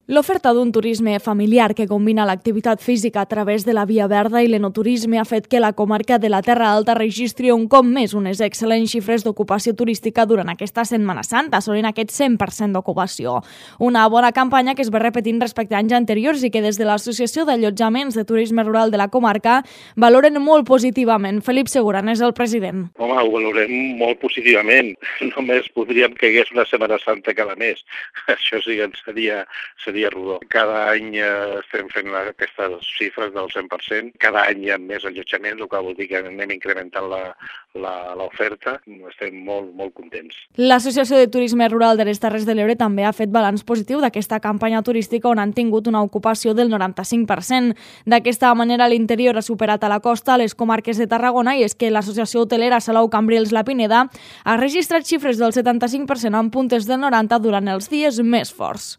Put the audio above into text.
L'oferta d'un turisme familiar que combina l'activitat física a través de la Via Verda i l'enoturisme ha fet que la comarca de la Terra Alta registri un cop més unes excel·lents xifres d'ocupació turística durant aquesta Setmana Santa, assolint aquest 100% d'ocupació. Una bona campanya que es va repetint respecte a anys anteriors i que des de l'Associació d'Allotjaments de Turisme Rural de la comarca valoren molt positivament. Felip Seguran és el president. Home, ho valorem molt positivament. Només podríem que hi hagués una Setmana Santa cada mes. Això sí que seria rodó. Cada any estem fent aquestes xifres del 100%. Cada any hi ha més allotjaments, el que vol dir que anem incrementant l'oferta. Estem molt contents. L'Associació de Turisme Rural de les Terres de l'Ebre també ha fet balanç positiu d'aquesta campanya turística on han tingut una ocupació del 95%. D'aquesta manera, l'interior ha superat a la costa a les comarques de Tarragona i és que l'Associació Hotelera Salou Cambrils La Pineda ha registrat xifres del 75% en puntes del 90% durant els dies més forts.